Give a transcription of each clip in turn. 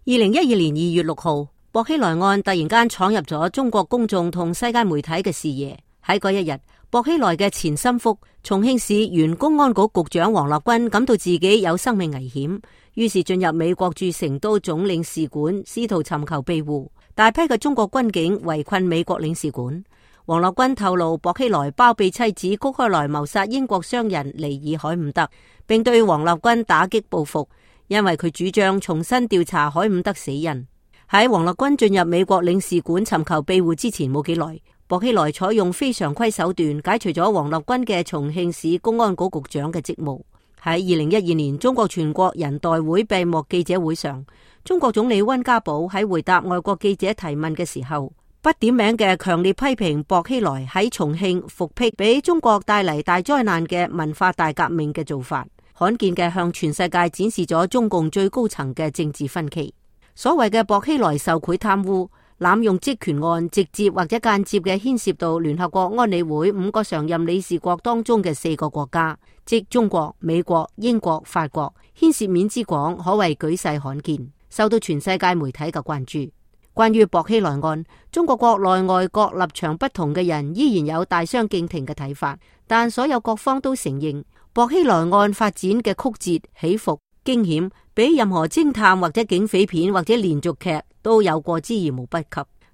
2012年2月6號，薄熙來案突然間闖入咗中國公眾同世界媒體嘅視野。喺嗰一日，薄熙來嘅前心腹重慶市原公安局局長王立軍感到自己有生命危險，於是進入美國駐成都總領事館，試圖尋求庇護。大批嘅中國軍警圍困美國領事館。王立軍透露，薄熙來包庇妻子谷開來謀殺英國商人尼爾海伍德，並對王立軍打擊報復，因為佢主張重新調查海伍德死因。喺王立軍進入美國領事館尋求庇護之前冇幾耐，薄熙來採用非常規手段解除咗王立軍嘅重慶市公安局局長嘅職務。喺2012年中國全國人代會閉幕記者會上，中國總理溫家寶喺回答外國記者提問嘅時候，不點名嘅強烈批評薄熙來喺重慶復辟俾中國帶嚟大災難嘅文化大革命嘅做法，罕見嘅向全世界展示咗中共最高層嘅政治分歧。所謂嘅薄熙來受賄貪污、濫用職權案，直接或者間接嘅牽涉到聯合國安理會5個常任理事國當中嘅4個國家，即中國、美國、英國、法國，牽涉面之廣，可謂舉世罕見，受到全世界媒體嘅關注。關於薄熙來案，中國國內外各立場不同嘅人依然有大相徑庭嘅睇法，但所有各方都承認薄熙來案發展嘅曲折起伏、驚險，比任何偵探或者警匪片或者連續劇都有過之而無不及。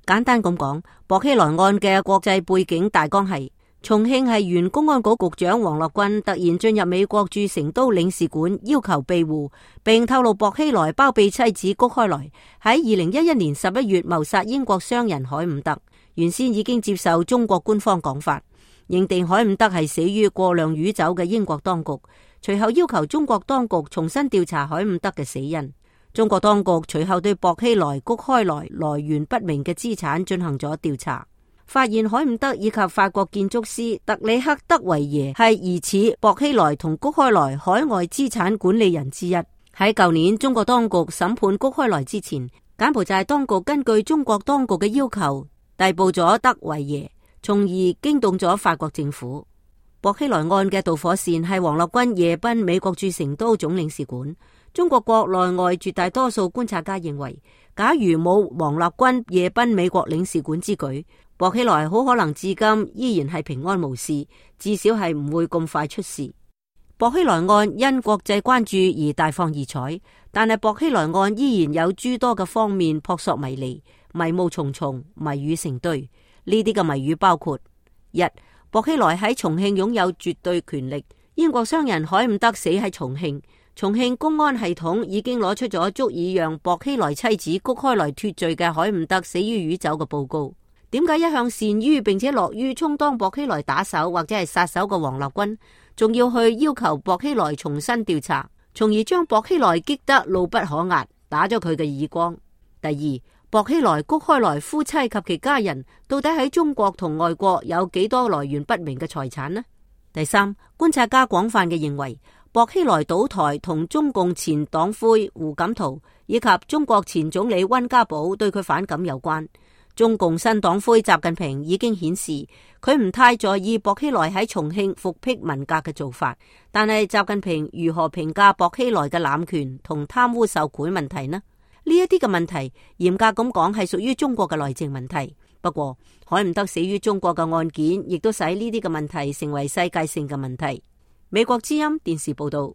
簡單咁講，薄熙來案嘅國際背景大綱係：重慶係原公安局局長王立軍突然進入美國駐成都領事館要求庇護，並透露薄熙來包庇妻子谷開來喺2011年11月謀殺英國商人海伍德。原先已經接受中國官方講法，認定海伍德係死於過量酗酒嘅英國當局，隨後要求中國當局重新調查海伍德嘅死因。中國當局隨後對薄熙來、谷開來來源不明嘅資產進行咗調查，發現海伍德以及法國建築師特里克·德維耶係疑似薄熙來同谷開來海外資產管理人之一。喺舊年中國當局審判谷開來之前，柬埔寨當局根據中國當局嘅要求逮捕咗德維耶，從而驚動咗法國政府。薄熙來案嘅導火線係王立軍夜奔美國駐成都總領事館。中國國內外絕大多數觀察家認為，假如冇王立軍夜奔美國領事館之舉，薄熙來好可能至今依然係平安無事，至少係唔會咁快出事。薄熙來案因國際關注而大放異彩，但係薄熙來案依然有諸多嘅方面撲朔迷離、迷霧重重、謎語成堆。呢啲嘅謎語包括：一、薄熙來喺重慶擁有絕對權力，英國商人海伍德死喺重慶，重慶公安系統已經攞出咗足以讓薄熙來妻子谷開來脫罪嘅海伍德死於酗酒嘅報告。點解一向善於並且樂於充當薄熙來打手或者係殺手嘅王立軍，仲要去要求薄熙來重新調查，從而將薄熙來激得怒不可遏，打咗佢嘅耳光？第二，薄熙來、谷開來夫妻及其家人到底喺中國同外國有幾多來源不明嘅財產呢？第三，觀察家廣泛嘅認為，薄熙來倒台同中共前黨魁胡錦濤以及中國前總理溫家寶對佢反感有關。中共新黨魁習近平已經顯示佢唔太在意薄熙來喺重慶復辟文革嘅做法，但係習近平如何評價薄熙來嘅濫權同貪污受賄問題呢？呢一啲嘅問題嚴格咁講係屬於中國嘅內政問題。不過海伍德死於中國嘅案件亦都使呢啲嘅問題成為世界性嘅問題。美國之音電視報道。